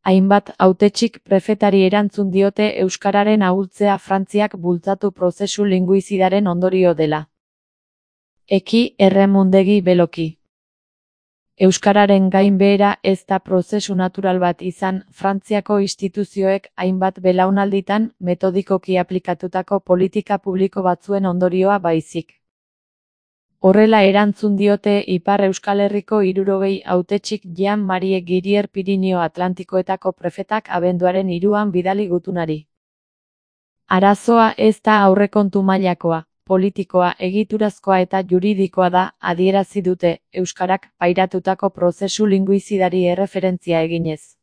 Hainbat hautetxik prefetari erantzun diote euskararen ahultzea Frantziak bultzatu prozesu linguizidaren ondorio dela. Eki erremundegi beloki. Euskararen gainbehera ez da prozesu natural bat izan, Frantziako instituzioek hainbat belaunalditan metodikoki aplikatutako politika publiko batzuen ondorioa baizik. Horrela erantzun diote Ipar Euskal Herriko 60 hautetxik Jean-Marie Girier Pirinio Atlantikoetako prefetak abenduaren 3an bidali gutunari. Arazoa ez da aurrekontu mailakoa, politikoa, egiturazkoa eta juridikoa da, adierazi dute, euskarak pairatutako prozesu linguizidari erreferentzia eginez.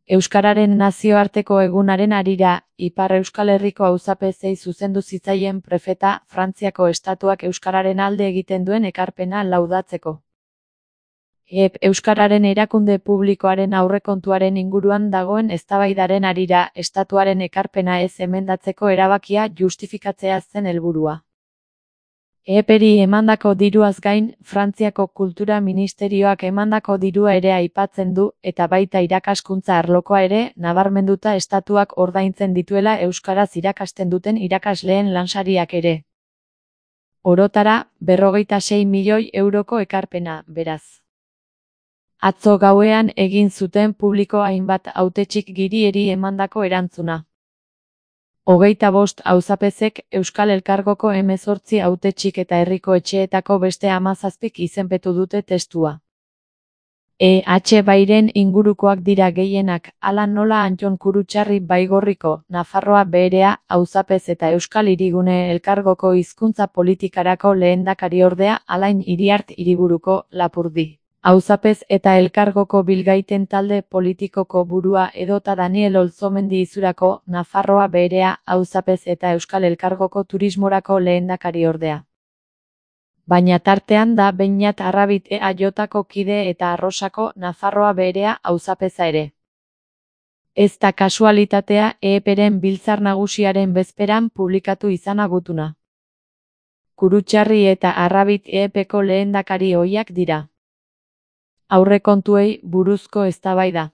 Euskararen nazioarteko egunaren harira, Ipar Euskal Herriko auzapezei zuzendu zitzaien prefeta, Frantziako estatuak euskararen alde egiten duen ekarpena laudatzeko. Euskararen erakunde publikoaren aurrekontuaren inguruan dagoen eztabaidaren harira, estatuaren ekarpena ez emendatzeko erabakia justifikatzea zen helburua. Eperi emandako diruaz gain, Frantziako Kultura Ministerioak emandako dirua ere aipatzen du, eta baita irakaskuntza arlokoa ere, nabarmenduta estatuak ordaintzen dituela euskaraz irakasten duten irakasleen lansariak ere. Orotara, 56 milioi euroko ekarpena, beraz. Atzo gauean egin zuten publiko hainbat hautetxik Girieri emandako erantzuna. 25 auzapezek Euskal Elkargoko 18 hautetxik eta herriko etxeetako beste 17 izenpetu dute testua. Bairen ingurukoak dira gehienak, hala nola Antton Kurutxarri Baigorriko, Nafarroa Beherea, auzapez eta Euskal Hirigune Elkargoko hizkuntza politikarako lehendakariordea Alain Iriart Hiriburuko, Lapurdi. Auzapez eta Elkargoko Bilgaiten talde politikoko burua edota Daniel Olzomendi Izurako, Nafarroa Beherea, auzapez eta Euskal Elkargoko turismorako lehendakariordea. Baina tartean da Beñat Arrabit EAJko kide eta Arrosako, Nafarroa Beherea, auzapeza ere. Ez da kasualitatea EEPren biltzar nagusiaren bezperan publikatu izana gutuna. Kurutxarri eta Arrabit EEPko lehendakari ohiak dira. Aurrekontuei buruzko eztabaida.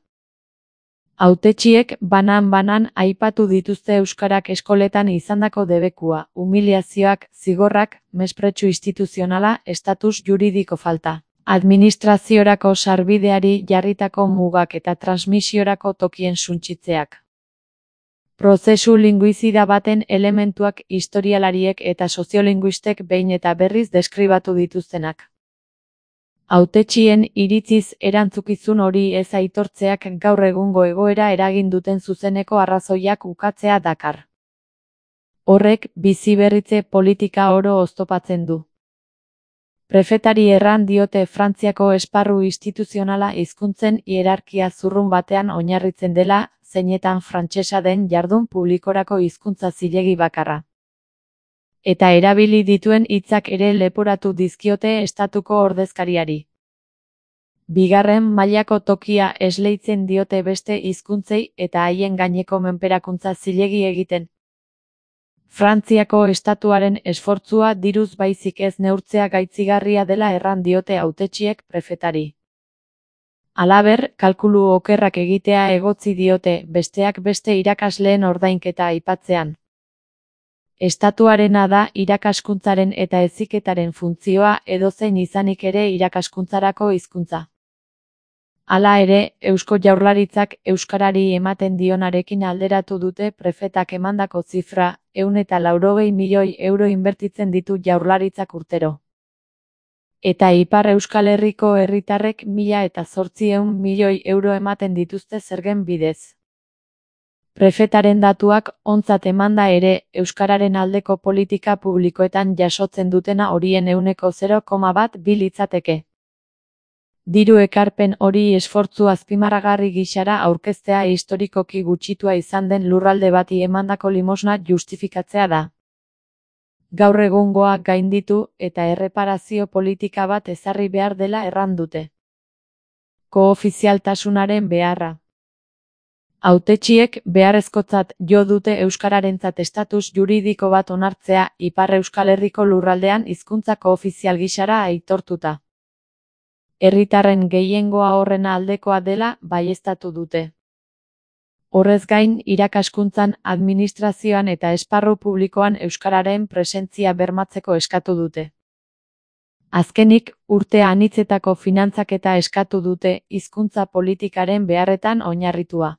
Hautetxiek banan-banan aipatu dituzte euskarak eskoletan izandako debekua, humiliazioak, zigorrak, mespretxu instituzionala, estatus juridiko falta, administraziorako sarbideari jarritako mugak eta transmisiorako tokien suntsitzeak. Prozesu linguizida baten elementuak historialariek eta soziolinguistek behin eta berriz deskribatu dituztenak. Hautetxien iritziz erantzukizun hori ez aitortzeak gaur egungo egoera eragin duten zuzeneko arrazoiak ukatzea dakar. Horrek biziberritze politika oro oztopatzen du. Prefetari erran diote Frantziako esparru instituzionala hizkuntzen hierarkia zurrun batean oinarritzen dela, zeinetan frantsesa den jardun publikorako hizkuntza zilegi bakarra. Eta erabili dituen hitzak ere leporatu dizkiote estatuko ordezkariari. Bigarren mailako tokia esleitzen diote beste hizkuntzei eta haien gaineko menperakuntza zilegi egiten. Frantziako estatuaren esfortzua diruz baizik ez neurtzea gaitzigarria dela erran diote hautetxiek prefetari. Halaber, kalkulu okerrak egitea egotzi diote, besteak beste irakasleen ordainketa aipatzean. Estatuarena da irakaskuntzaren eta heziketaren funtzioa edozein izanik ere irakaskuntzarako hizkuntza. Hala ere, Eusko Jaurlaritzak euskarari ematen dionarekin alderatu dute prefetak emandako zifra, 180 milioi euro inbertitzen ditu Jaurlaritzak urtero. Eta Ipar Euskal Herriko herritarrek 1.800 milioi euro ematen dituzte zergen bidez. Prefetaren datuak ontzat emanda ere, euskararen aldeko politika publikoetan jasotzen dutena horien 0,1 litzateke. Diru ekarpen hori esfortzu azpimarragarri gisara aurkeztea historikoki gutxitua izan den lurralde bati emandako limosna justifikatzea da. Gaur egungoa gainditu eta erreparazio politika bat ezarri behar dela erran dute. Koofizialtasunaren beharra. Hautetxiek beharrezkotzat jo dute euskararentzat estatus juridiko bat onartzea Ipar Euskal Herriko lurraldean hizkuntza koofizial gisara aitortuta. herritarren gehiengoa horren aldekoa dela baieztatu dute. Horrez gain, irakaskuntzan, administrazioan eta esparru publikoan euskararen presentzia bermatzeko eskatu dute. Azkenik, urte anitzetako finantzaketa eskatu dute hizkuntza politikaren beharretan oinarritua.